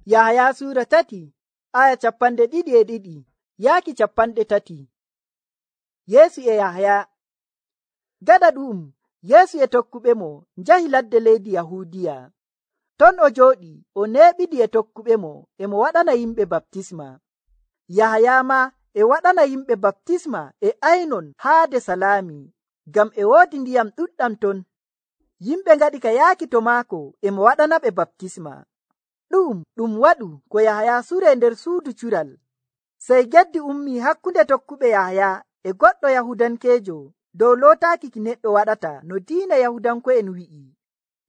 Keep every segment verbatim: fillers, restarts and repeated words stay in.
Yahaya suura tati aya capanɗe ɗiɗi e ɗiɗi yaaki capanɗe tati. Yeesu e Yahaya. Gaɗa ɗu'um Yeesu e tokkuɓe mo njahi ladde leydi Yahuudiya. Ton o jooɗi o neeɓidi e tokkuɓe mo e mo waɗana yimɓe baptisma. Yahaya ma e waɗana yimɓe baptisma e aynon haade Salaami, ngam e woodi ndiyam ɗuɗɗam ton. Yimɓe ngaɗi ka yaaki to maako e mo waɗanaɓe baptisma. Ɗu'um ɗum waɗu ko Yahaya suree nder suudu cural. Sey geddi ummii hakkunde tokkuɓe Yahaya e goɗɗo Yahudankeejo dow lootaaki ki neɗɗo waɗata no diina Yahudanko'en wi'i.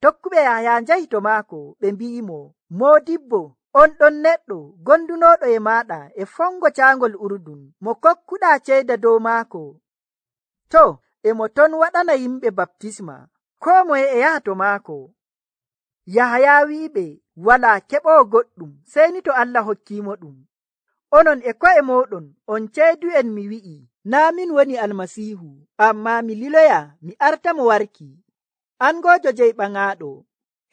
Tokkuɓe Yahaya njahi to maako ɓe mbi'imo, Moodibbo, on ɗon neɗɗo gondunooɗo e maaɗa e fongo caangol Urdun mo kokkuɗaa ceyda dow maako. To, e mo ton waɗana yimɓe baptisma, koo moye e yaha to maako. Yahaya wi'iɓe walaa keɓoo goɗɗum sey ni to Allah hokkiimo ɗum. Onon e ko'e mooɗon on ceydu'en mi wi'i, naa min woni Almasiihu, ammaa mi liloya mi artamo warki. Angoojo jeyɓaŋaaɗo.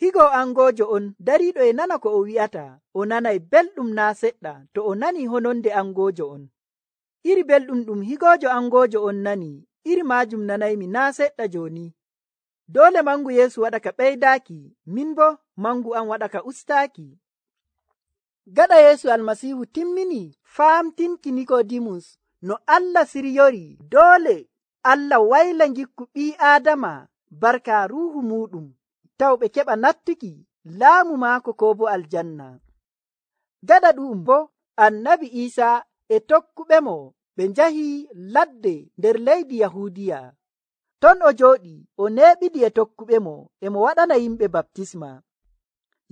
Higo angoojo on dariiɗo e nana ko o wi'ata, o nanay belɗum naa seɗɗa to o nanii hononde angoojo on. Iri belɗum ɗum higoojo angoojo on nani, iri maajum nanaymi naa seɗɗa jooni. Doole mangu Yeesu waɗa ka ɓeydaaki, min bo mangu am waɗa ka ustaaki. Gaɗa Yeesu Almasiihu timmini faamtinki Nikodimus no Allah siryori doole Allah wayla ngikku ɓii Aadama barka ruuhu muɗum taw ɓe keɓa nattuki laamu maako ko bo aljanna. Gaɗa ɗu'um bo annabi Iisaa e tokkuɓe mo ɓe njahi ladde nder leydi Yahuudiya. Ton o jooɗi o neeɓidi e tokkuɓe mo e mo waɗana yimɓe baptisma.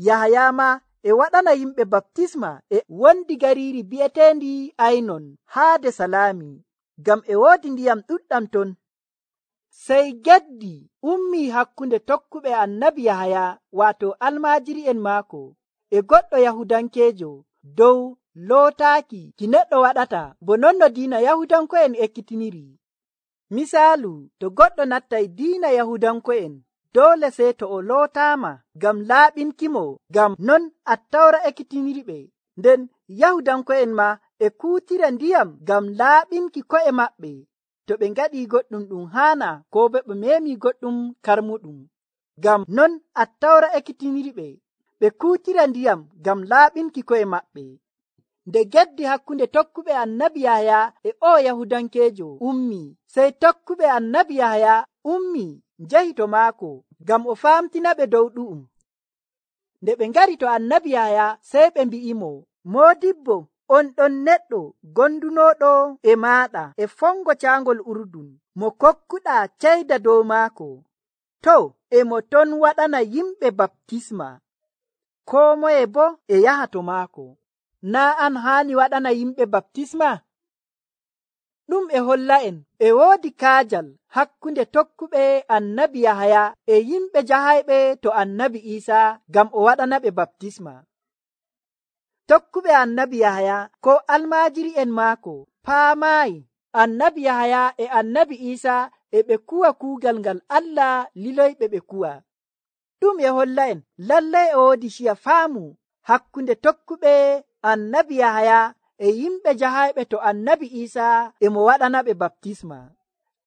Yahaya ma e waɗana yimɓe baptisma e wondi gariiri bi'eteendi aynon haade Salaami, ngam e woodi ndiyam ɗuɗɗam ton. Sey geddi ummii hakkunde tokkuɓe annabi Yahaya waato almaajiri'en maako e goɗɗo Yahudankeejo dow lootaaki ki neɗɗo waɗata bo non no diina Yahudanko'en ekkitiniri. Misaalu, to goɗɗo nattay diina Yahudanko'en doole sey to o lootaama ngam laaɓinkimo, ngam non Attawra ekkitiniriɓe. Nden Yahudanko'en ma e kuutira ndiyam ngam laaɓinki ko'e maɓɓe to ɓe ngaɗii goɗɗum ɗum haana ko bo ɓe meemii goɗɗum karmuɗum. Ngam non Attawra ekkitiniriɓe ɓe kuutira ndiyam ngam laaɓinki ko'e maɓɓe. Nde geddi hakkunde tokkuɓe annabi Yahaya e o Yahudankeejo ummii, sey tokkuɓe annabi Yahaya ummii njahi to maako ngam o faamtinaɓe dow ɗu'um. Nde ɓe ngari to annabi Yahaya sey ɓe mbi'imo, Moodibbo, on ɗon neɗɗo gondunooɗo e maaɗa e fongo caangol Urdun mo kokkuɗaa ceyda dow maako. To, e mo ton waɗana yimɓe baptisma, koo moye bo e yaha to maako. Naa an haani waɗana yimɓe baptisma? Ɗum e holla'en e woodi kaajal hakkunde tokkuɓe annabi Yahaya e yimɓe jahayɓe to annabi Iisaa ngam o waɗanaɓe baptisma. Tokkuɓe annabi Yahaya ko almaajiri'en maako paamaayi annabi Yahaya e annabi Iisaa e ɓe kuwa kuugal ngal Allah liloyɓe ɓe kuwa. Ɗum e holla'en lallay e woodi ciya faamu hakkunde tokkuɓe annabi Yahaya e yimɓe jahayɓe to annabi Iisaa e mo waɗanaɓe baptisma.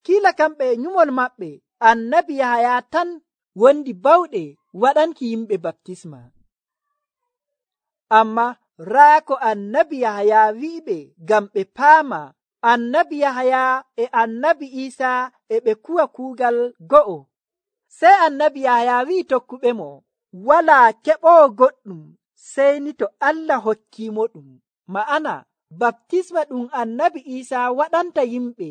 Kiila kamɓe e nyumol maɓɓe annabi Yahaya tan wondi bawɗe waɗanki yimɓe baptisma. Amma raa ko annabi Yahaya wi'iɓe ngam ɓe paama annabi Yahaya e annabi Iisaa e ɓe kuwa kuugal go'o. Sey annabi Yahaya wi'i tokkuɓe mo, walaa keɓoo goɗɗum sey ni to Allah hokkiimo ɗum. Ma'ana baptisma ɗum annabi Iisaa waɗanta yimɓe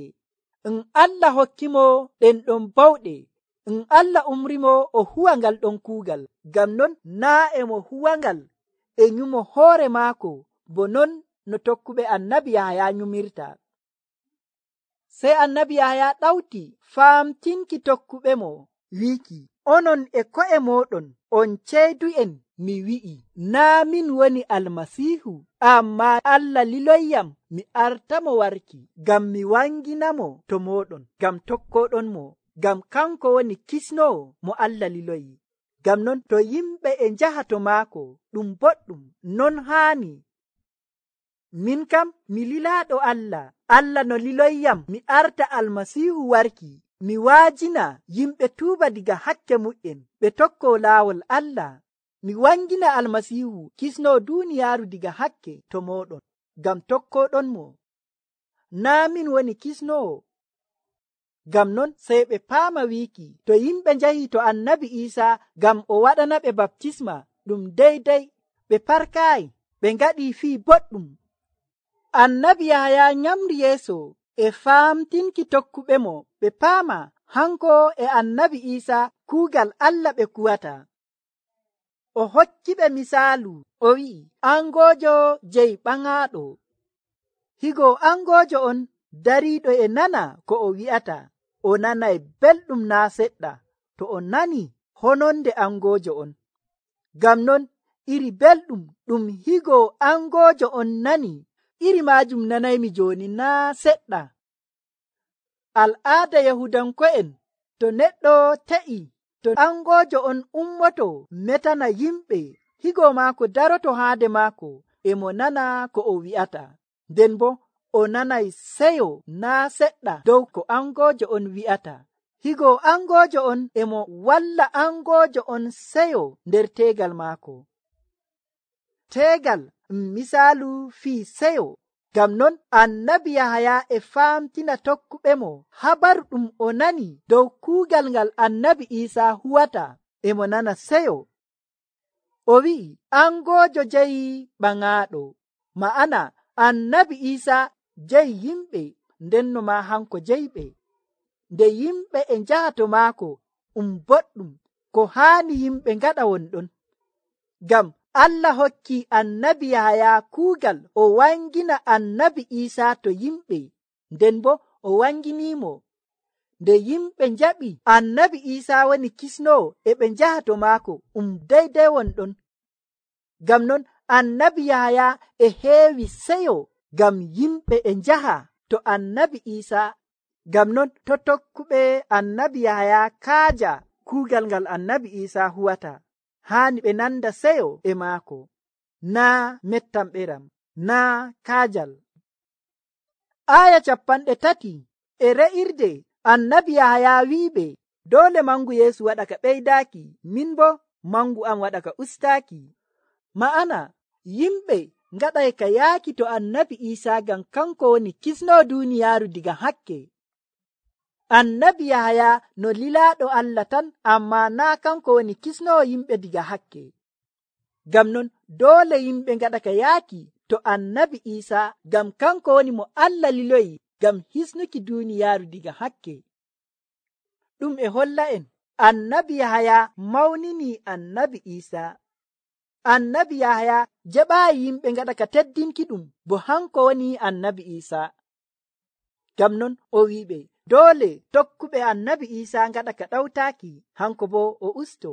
en Allah hokkimo ɗen ɗon bawɗe, en Allah umrimo o huwa ngal ɗon kuugal. Ngam non naa e mo huwangal e nyumo hoore maako bo non no tokkuɓe annabi Yahaya nyumirta. Sey annabi Yahaya ɗawti faamtinki tokkuɓe mo wiiki, onon e ko'e mooɗon on ceydu'en mi wi'i, naa min woni Almasiihu, ammaa Allah liloyyam mi artamo warki ngam mi wanginamo to mooɗon, ngam tokkoɗon mo, ngam kanko woni kisnowo mo Allah liloyi. Ngam non to yimɓe e njaha to maako ɗum boɗɗum, non haani. Min kam mi lilaaɗo Allah, Allah no liloyyam mi arta Almasiihu warki, mi waajina yimɓe tuuba diga hakke mu'en ɓe tokkoo laawol Allah. Mi wangina Almasiihu kisnoo duuniyaaru diga hakke to mooɗon, ngam tokkooɗonmo. Naa min woni kisnoowo. Ngam non sey ɓe paama wiiki to yimɓe njahi to Annabi Iisaa ngam o waɗana ɓe baptisma ɗum deydey, ɓe parkaayi, ɓe ngaɗii fii boɗɗum. Annabi Yahaya nyamri yeeso e faamtinki tokkuɓemo ɓe paama hanko e Annabi Iisaa kuugal Allah ɓe kuwata. O hokkiɓe misaalu, o wi'i, angoojo jeyi ɓaŋaaɗo. Higo angoojo on dariiɗo e nana ko o wi'ata, o nanay belɗum naa seɗɗa to o nani hononde angoojo on. Ngam non iri belɗum ɗum higo angoojo on nani, iri maajum nanaymi jooni naa seɗɗa. Al'aada Yahudanko'en, to neɗɗo te'i, to angoojo on ummoto metana yimɓe, higo maako daroto haade maako, e mo nana ko o wi'ata, nden bo o nanay seyo naa seɗɗa dow ko angoojo on wi'ata. Higo angoojo on e mo walla angoojo on seyo nder teegal maako. Teegal misaalu fii seyo. Ngam non Annabi Yahaya e faamtina tokkuɓemo habaru ɗum o nani dow kuugal ngal Annabi Iisaa huwata, e mo nana seyo. O wi'i angoojo jeyi ɓaŋaaɗo, ma'ana Annabi Iisaa jeyi yimɓe, ndenno ma hanko jeyiɓe. Nde yimɓe e njaha to maako um boɗɗum, ko haani yimɓe ngaɗa wonɗon. Ngam Allah hokki Annabi Yahaya kuugal o wangina Annabi Iisaa to yimɓe, nden bo o wanginimo. Nde yimɓe njaɓi Annabi Iisaa woni kisnoo e ɓe njaha to maako um deydey wonɗon. Ngam non Annabi Yahaya e heewi seyo ngam yimɓe e njaha to Annabi Iisaa. Ngam non to tokkuɓe Annabi Yahaya kaaja kuugal ngal Annabi Iisaa huwata, haani ɓe nanda seyo e maako, naa mettam ɓeram, naa kaajal. Aya capanɗe tati e re'irde Annabi Yahaya wi'iɓe doole mangu Yeesu waɗa ka ɓeydaaki, min bo mangu am waɗa ka ustaaki. Ma'ana yimɓe ngaɗay ka yaaki to Annabi Iisaa ngam kanko woni kisnoo duuniyaaru diga hakke. Annabi Yahaya no lilaaɗo Allah tan, amma naa kanko woni kisnoo yimɓe diga hakke. Ngam non doole yimɓe ngaɗa ka yaaki to Annabi Iisaa ngam kanko woni mo Allah liloyi ngam hisnuki duuniyaaru diga hakke. Ɗum e holla en Annabi Yahaya mawnini Annabi Iisaa. Annabi Yahaya jaɓaayi yimɓe ngaɗa ka teddinki ɗum bo hanko woni Annabi Iisaa. Ngam non o wi'iɓe doole tokkuɓe Annabi Iisaa ngaɗa ka ɗawtaaki, hanko bo o usto.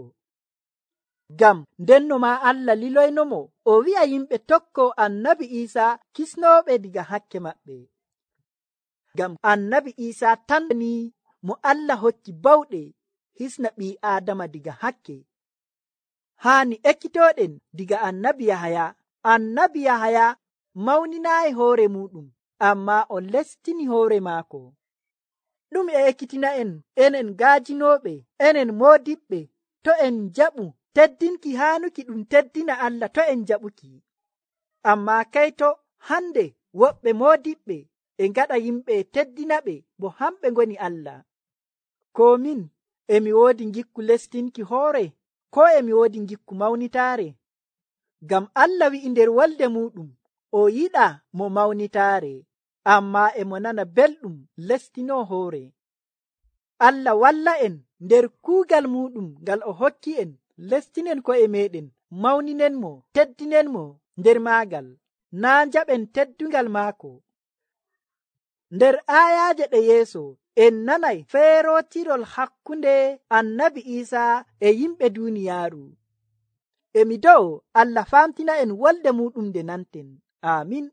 Ngam ndenno ma Allah liloynomo o wi'a yimɓe tokko Annabi Iisaa kisnooɓe diga hakke maɓɓe. Ngam Annabi Iisaa tan ni mo Allah hokki bawɗe hisna ɓii Aadama diga hakke. Haani ekkitooɗen diga Annabi Yahaya. Annabi Yahaya mawninaayi hoore muɗum, amma o lestini hoore maako. Ɗum e ekkitina en enen gaajinooɓe, enen moodiɓɓe, to en jaɓu teddinki haanuki ɗum teddina Allah, to en jaɓuki. Amma kayto hande woɓɓe moodiɓɓe e ngaɗa yimɓe teddina ɓe bo hamɓe ngoni Allah. Ko min emi woodi ngikku lestinki hoore, ko emi woodi ngikku mawnitaare. Ngam Allah wi'i nder wolde muɗum o yiɗa mo mawnitaare, amma emo nana belɗum lestinoo hoore. Allah walla en nder kuugal muɗum ngal o hokki en, lestinen ko'e meɗen, mawninen mo, teddinen mo nder maagal, naa njaɓen teddungal maako. Nder aayaaje ɗe yeeso en nanay feerotirol hakkunde Annabi Iisaa e yimɓe duuniyaaru. Emi dow Allah famtina en wolde muɗum nde nanten. Amin.